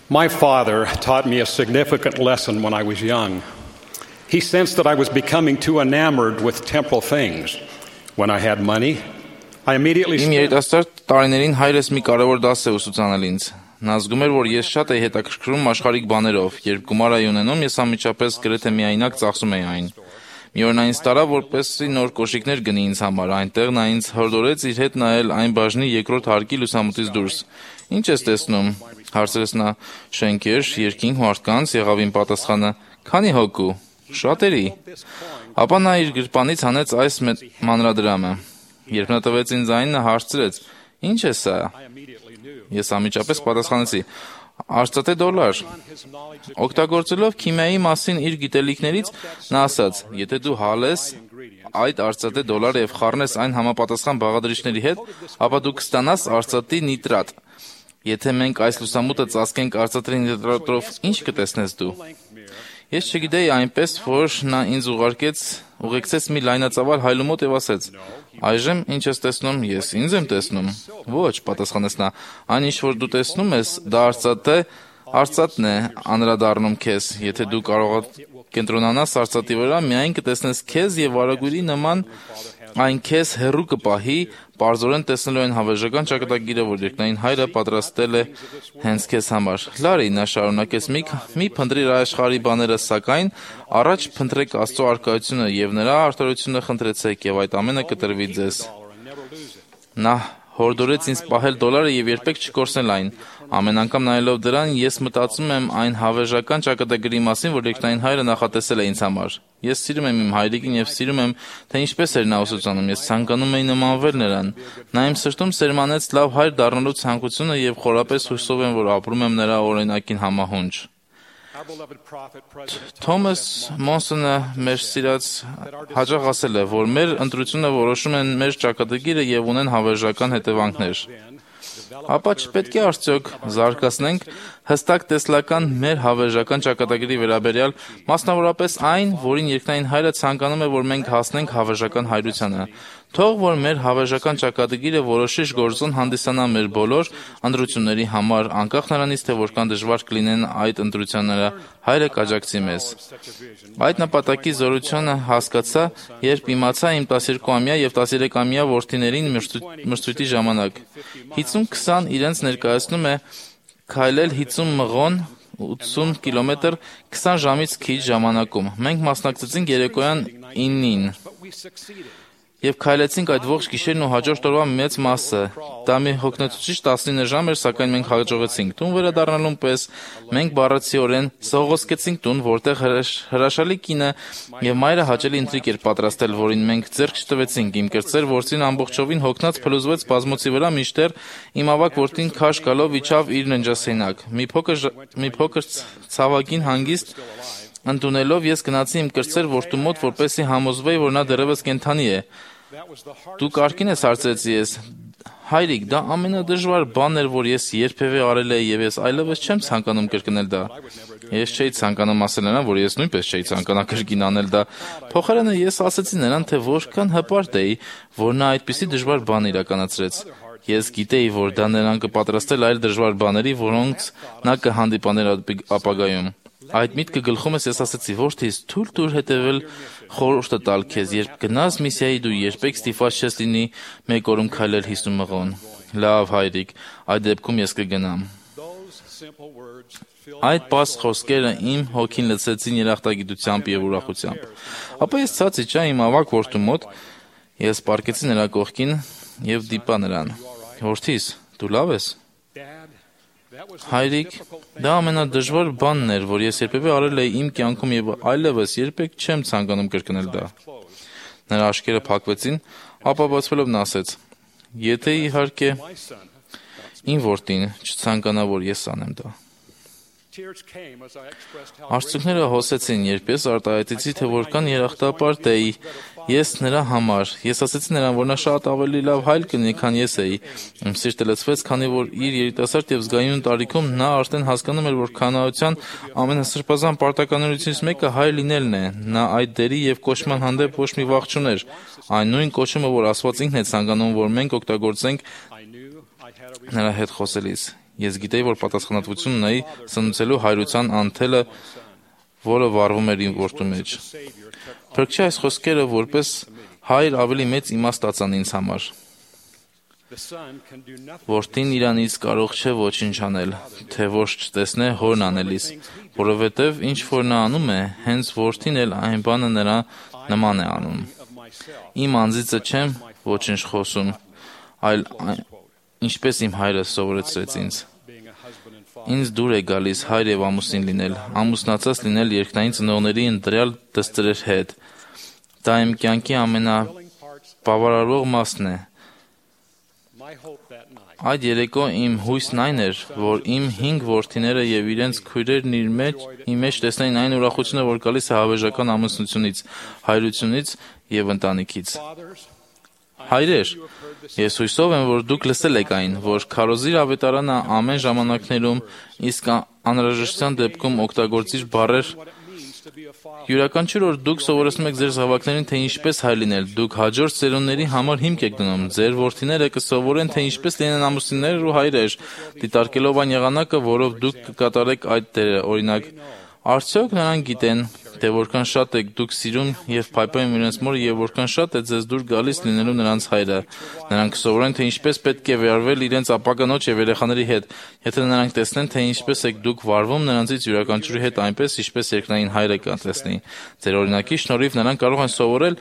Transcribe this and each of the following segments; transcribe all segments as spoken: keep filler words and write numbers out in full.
My father taught me a significant lesson when I was young. He sensed that I was becoming too enamored with temporal things. When I had money, I immediately Իմ երիտասարդ տարիներին հայրս մի կարևոր դաս է ուսուցանել ինձ։ Նա զգում էր, որ ես շատ էի հետաքրքրում աշխարհիկ բաներով։ Երբ գումար էի ունենում, ես անմիջապես գրեթե միայնակ ծախսում էի այն։ Մի օր նա ինձ տարավ, որպեսզի նոր կոշիկներ գնի ինձ համար։ Այնտեղ նա ինձ հորդորեց իր հետ նայել այն բաժնի երկրորդ հարկի լուսամուտից դուրս։ Ինչ ես տեսնում, հարցրեց նա։ Շենքեր, երկինք, մարդկանց, եղավ իմ պատասխանը։ Քանի հոգու։ Շատերի։ Ապա նա իր գրպանից հանեց այս մանրադրամը։ Երբ նա տվեց ինձ այն, նա հարցրեց. Ինչ է սա։ Ես անմիջապես պատասխանեցի. Արծաթե դոլար։ Օգտագործելով քիմիայի մասին իր գիտելիքներից, նա ասաց. Եթե դու հալես այդ արծաթե դոլարը եւ խառնես այն համապատասխան բաղադրիչների հետ, ապա դու կստանաս արծաթի նիտրատ։ Եթե մենք այս լուսամուտը ծածկենք արծաթի նիտրատով, ինչ կտեսնես դու։ Ես չգիտեի այնպես, որ նա ինձ ուղարկեց, ուղեկցեց մի լայնածավալ հայլու մոտ եւ ասեց. Այժմ ինչ ես տեսնում, ես ինձ եմ տեսնում։ Ոչ, պատասխանեց նա, այն ինչ որ դու տեսնում ես, դա արծաթե, արծաթն է անդրադառնում քեզ։ Եթե դու կարող կենտրոնանաս արծաթի վրա, միայն կտեսնես քեզ եւ վարագույրի նման այն քեզ հեռու կպահի, պարզորեն տեսնելու այն հավերժական ճակատագիրը, որ երկնային հայրը պատրաստել է հենց քեզ համար։ Լարի, նա շարունակեց, մի, մի փնտրիր աշխարհի բաները, սակայն առաջ փնտրեք Աստծո առկայությունը եւ նրա արդարությունը խնդրեցեք եւ այդ ամենը կտրվի ձեզ։ Նա հորդորեց ինձ պահել դոլարը եւ երբեք չկորցնել այն։ Ամեն անգամ նայելով դրան, ես մտածում եմ այն հավերժական ճակատագրի մասին, որ երկնային հայրը նախատեսել է ինձ համար։ Ես սիրում եմ իմ հայրիկին եւ սիրում եմ, թե ինչպես էր նա ուսուցանում։ Ես ցանկանում էի նմանվել նրան։ Նա իմ սրտում սերմանեց լավ հայր դառնալու ցանկությունը եւ խորապես հույսով եմ, որ ապրում եմ նրա օրինակին համահունչ։ Թոմաս Մոնսոնը մեր սիրած հաճախ ասել է, որ մեր ընտրությունը որոշում են մեր ճակատագիրը եւ ունեն հավերժական հետևանքներ։ Ապա չպետք է արդյոք զարգացնենք հստակ տեսլական մեր հավերժական ճակատագրի վերաբերյալ, մասնավորապես այն, որին երկնային հայրը ցանկանում է, որ մենք հասնենք հավերժական հայրությանը։ Թող որ մեր հավերժական ճակատագիրը որոշիչ գործոն հանդիսանա մեր բոլոր ընտրությունների համար, անկախ նրանից, թե որքան դժվար կլինեն այդ ընտրությունները, հայրը կաջակցի մեզ։ Այդ նպատակի զորությունը հասկացա, երբ իմացա իմ տասներկուամյա եւ տասներեքամյա որդիներին մրցույթի ժամանակ։ հինգ քսան իրենց ներկայացնում է քայլել հինգ մղոն ութսուն կիլոմետր քսան ժամից քիչ ժամանակում։ Մենք մասնակցեցինք երեկոյան ինին եւ քայլեցինք այդ ողջ գիշերն ու հաջորդ օրվա մեծ մասը։ Դա մի հոգնեցուցիչ տասնինը ժամ էր, սակայն մենք հաջողեցինք։ Տուն վերադառնալուն պես մենք բառացիորեն սողոսկեցինք տուն, որտեղ հրաշալի կինը եւ մայրը հաճելի ընթրիք էր պատրաստել, որին մենք ձեռք չտվեցինք։ Իմ կրտսեր որդին ամբողջովին հոգնած փլուզվեց բազմոցի վրա, մինչդեռ իմ ավակ որդին քաշ գալով իջավ իր ննջասենյակ։ Մի փոքր մի փոքր ցավագին հանգիստ ընդունելով ես գնացի իմ կրտսեր որդու մոտ, որպեսզի համոզվեի, որ նա դեռևս կենդանի է։ Դու կարգին ես, հարցրեցի ես։ Հայրիկ, դա ամենադժվար բանն էր, որ ես երբևէ արել եմ եւ ես այլևս չեմ ցանկանում կրկնել դա։ Ես չէի ցանկանում ասել նրան, որ ես նույնպես չէի ցանկանա կրկին անել դա։ Փոխարենը ես ասեցի նրան, թե որքան հպարտ էի, որ նա այդպիսի դժվար բան իրականացրեց։ Ես գիտեի, որ դա նրան կպատրաստել այլ դժվար բաների, որոնց նա կհանդիպաներ ապագայում։ Այդ միտքը գլխում ես ես ասեցի, որդիս, թույլ տուր հետևել խորհուրդը տալ քեզ, երբ գնաս միսիայի դու երբեք ստիպված չես լինի մեկ օրում քայլել հիսուն մղոն։ Լավ հայրիկ, այդ դեպքում ես կգնամ։ Այդ բաց խոսքերը իմ հոգին լցրեցին երախտագիտությամբ եւ ուրախությամբ։ Ապա ես ցած իջա իմ ավակ որդու մոտ, ես պառկեցի նրա կողքին եւ դիպա նրան։ Որդիս, դու լավ ես։ Հայրիկ, դա ամենադժվար բանն էր, որ ես երբևէ արել էի իմ կյանքում եւ այլևս երբեք չեմ ցանկանում կրկնել դա։ Նրա աչքերը փակվեցին, ապա բացվելով նա ասեց. Եթե իհարկե իմ որդին չցանկանա, որ ես անեմ դա։ Արցունքները հոսեցին, երբ ես արտահայտեցի, թե որքան երախտապարտ էի ես նրա համար։ Ես ասեցի նրան, որ նա շատ ավելի լավ հայր կլինի, քան ես էի։ Իմ սիրտը լցվեց, քանի որ իր երիտասարդ եւ զգայուն տարիքում նա արդեն հասկանում էր, որ քանայության ամենասրբազան պարտականությունից մեկը հայր լինելն է։ Նա այդ դերի եւ կոչման հանդեպ ոչ մի վախ չուներ։ Այն նույն կոչումը, որ Աստված ինքն է ցանկանում, որ մենք օգտագործենք նրա հետ խոսելիս։ Ես գիտեի, որ պատասխանատվություն ունեի սնուցելու հայրության անթելը, որը վառվում էր իմ որդու մեջ։ Փրկչի այս խոսքերը որպես հայր ավելի մեծ իմաստ ստացան ինձ համար։ Որդին իրանից կարող չէ ոչինչ անել, թե ոչ չտեսնե հորն անելիս, որովհետև ինչ որ նա անում է, հենց որդին էլ այն բանը նրա նման է անում։ Իմ անձիցը չեմ ոչինչ խոսում, այլ ինչպես իմ հայրը սովորեցրեց ինձ։ Ինձ դուր է գալիս հայր եւ ամուսին լինել, ամուսնացած լինել երկնային ծնողների ընտրյալ դստեր հետ։ Դա իմ կյանքի ամենաբավարարող մասն է։ Այդ երեկո իմ հույսն այն էր, որ իմ հինգ որդիները եւ իրենց քույրերն իր մեջ, իմ մեջ տեսնեին այն ուրախությունը, որ գալիս է հավերժական ամուսնությունից, հայրությունից եւ ընտանիքից։ Հայրեր, ես հույսով եմ, որ դուք լսել եք այն, որ քարոզիր ավետարանը ամեն ժամանակներում, իսկ անհրաժեշտության դեպքում օգտագործիր բառեր։ Յուրաքանչյուր օր դուք սովորեցնում եք ձեր զավակներին, թե ինչպես հայր լինել, դուք հաջորդ սերունդների համար հիմք եք դնում, ձեր որդիները կսովորեն, թե ինչպես լինեն ամուսիններ ու հայրեր, դիտարկելով այն եղանակը, որով դուք կկատարեք այդ դերը, օրինակ, արդյոք նրանք գիտեն, թե որքան շատ եք դուք սիրում եւ փայփայում իրենց մորը եւ որքան շատ է ձեզ դուր գալիս լինելու նրանց հայրը։ Նրանք կսովորեն, թե ինչպես պետք է վերաբերվել իրենց ապագանոջ եւ երեխաների հետ, եթե նրանք տեսնեն, թե ինչպես եք դուք վարվում նրանցից յուրաքանչյուրի հետ այնպես, ինչպես երկնային հայրը կտեսնի։ Ձեր օրինակի շնորհիվ նրանք կարող են սովորել,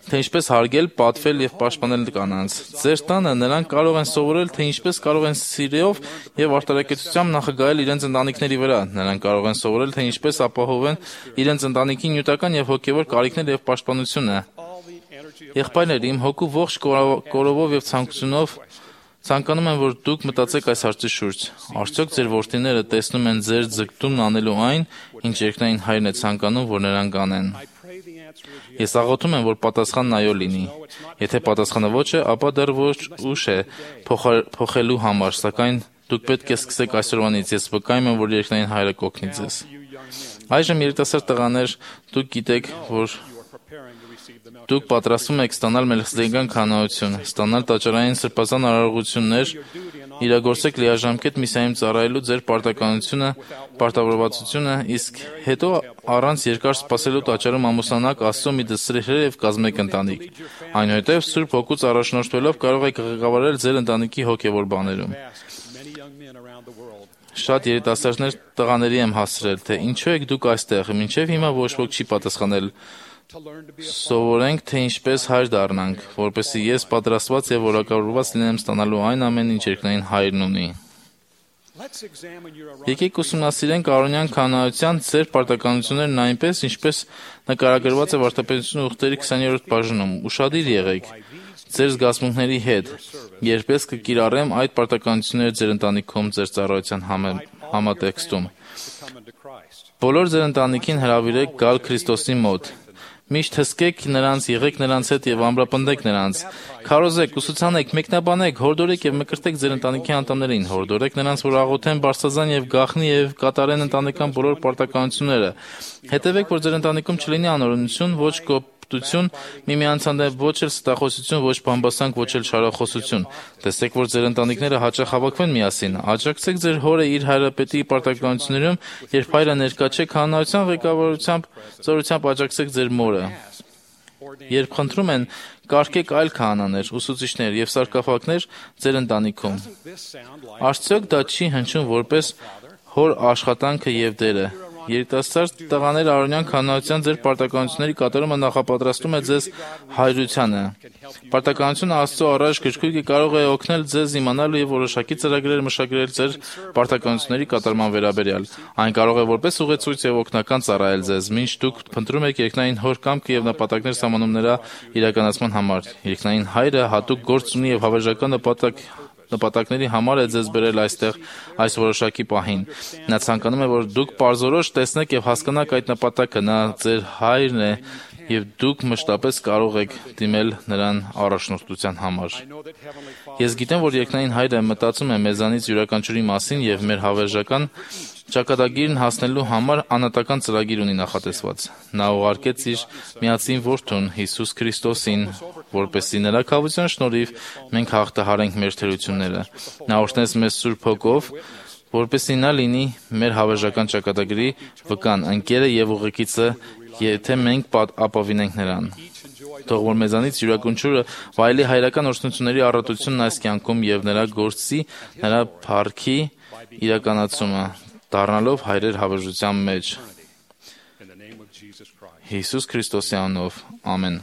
թե ինչպես հարգել, պատվել եւ պաշտպանել կանանց։ Ձեր տանը նրանք կարող են սովորել, թե ինչպես կարող են սիրով եւ արտարակեցությամբ նախագահել իրենց ընտանիքների վրա։ Նրանք կարող են սովորել, թե ինչպես ապահովեն իրենց ընտանիքի նյութական եւ հոգեվոր կարիքները եւ պաշտպանությունը։ Եղբայրներ, իմ հոգու ողջ կորովով եւ ցանկությունով ցանկանում եմ, որ դուք մտածեք այս հարցի շուրջ։ Արդյոք ձեր որդիները տեսնում են ձեր ձգտումն անելու այն, ինչ երկնային հայրն է ցանկանում, որ նրանք անեն։ Ես աղոթում եմ, որ պատասխանն այո լինի։ Եթե պատասխանը ոչ է, ապա դեռ ոչ ուշ է փոխելու համար, սակայն դուք պետք է սկսեք այսօրվանից։ Ես վկայում եմ, որ երկնային հայրը կօգնի ձեզ։ Այժմ երիտասարդ տղաներ, դուք գիտեք, որ դուք պատրաստվում եք ստանալ մելքսեդեկյան քահանայություն, ստանալ տաճարային սրբազան արարողություններ, իրագործեք լիաժամկետ միսիայում ծառայելու ձեր պարտականությունը, պարտավորվածությունը, իսկ հետո առանց երկար սպասելու տաճարում ամուսնանաք Աստծո մի դստեր եւ կազմեք ընտանիք։ Այնուհետև Սուրբ Հոգուց առաջնորդվելով կարող եք ղեկավարել ձեր ընտանիքի հոգեվոր բաներում։ Շատ երիտասարդներ տղաների եմ հասցրել, թե ինչու եք դուք այստեղ, մինչև հիմա ոչ ոք չի պատասխանել։ Սովորենք, թե ինչպես հայր դառնանք, որպեսզի ես պատրաստված եւ որակավորված լինեմ ստանալու այն ամեն ինչ երկնային հայրն ունի։ Եկեք ուսումնասիրենք արոնյան քահանայության ձեր պարտականություններն այնպես, ինչպես նկարագրված է Վարդապետություն ուխտերի քսաներորդ բաժնում։ Ուշադիր եղեք ձեր զգացմունքների հետ, երբես կկիրառեմ այդ պարտականությունները ձեր ընտանիքում ձեր ծառայության համատեքստում։ Բոլոր ձեր ընտանիքին հրավիրեք գալ Քրիստոսի մոտ։ Միշտ հսկեք նրանց, եղեք նրանց հետ եւ ամրապնդեք նրանց։ Քարոզեք, ուսուցանեք, մեկնաբանեք, հորդորեք եւ մկրտեք ձեր ընտանիքի անդամներին, հորդորեք նրանց, որ աղոթեն բարձրազան եւ գաղտնի եւ կատարեն ընտանեկան բոլոր պարտականությունները։ Հետևեք, որ ձեր ընտանիքում չլինի անօրենություն, ոչ կոպտություն, միմյանց հանդեպ ոչ էլ ստախոսություն, ոչ բամբասանք, ոչ էլ շարախոսություն։ Տեսեք, որ ձեր ընտանիքները հաճախ հավաքվեն միասին։ Աջակցեք ձեր հորը իր հայրապետի պարտականություններում, երբ հայրը ներկա չէ քահանայության ղեկավարությամբ, զորությամբ աջակցեք ձեր մորը։ Երբ խնդրում են, կարգեք այլ քահանաներ, ուսուցիչներ եւ սարկափակներ ձեր ընտանիքում։ Արդյոք դա չի հնչում որպես հոր աշխատանքը եւ դերը։ Երիտասարդ տղաները արոնյան քահանայության ձեր պարտականությունների կատարումը նախապատրաստում է ձեզ հայրությանը։ Պարտականությունը Աստծո առաջ գրքույկը կարող է օգնել ձեզ իմանալ եւ որոշակի ծրագրեր մշակել ձեր պարտականությունների կատարման վերաբերյալ։ Այն կարող է որպես ուղեցույց եւ օգնական ծառայել ձեզ, մինչ դուք փնտրում եք երկնային հոր կամքը եւ նպատակներ սահմանում նրա իրականացման համար։ Երկնային հայրը հատուկ գործ ունի եւ հավերժական նպատակ նպատակների համար է ձեզ բերել այստեղ այս որոշակի պահին։ Նա ցանկանում է, որ դուք պարզորոշ տեսնեք եւ հասկանաք այդ նպատակը, նա ձեր հայրն է եւ դուք մշտապես կարող եք դիմել նրան առաջնորդության համար։ Ես գիտեմ, որ երկնային հայրը մտածում է մեզանից յուրաքանչյուրի մասին եւ մեր հավերժական ճակատագիրն հասնելու համար անհատական ծրագիր ունի նախատեսված։ Նա ուղարկեց իր միածին որդուն Հիսուս Քրիստոսին, որպեսզի նրա քավության շնորհիվ մենք հաղթահարենք մեր թերությունները։ Նա օրհնեց մեզ Սուրբ Հոգով, որպեսզի նա լինի մեր հավերժական ճակատագրի վկան, ընկերը եւ ուղեկիցը, եթե մենք ապավինենք նրան։ Թող որ մեզանից յուրաքանչյուրը վայելի հայրական օրհնությունների առատությունն այս կյանքում եւ նրա գործի, նրա փառքի իրականացումը, դառնալով հայրեր հավերժության մեջ։ Հիսուս Քրիստոսի անունով, ամեն։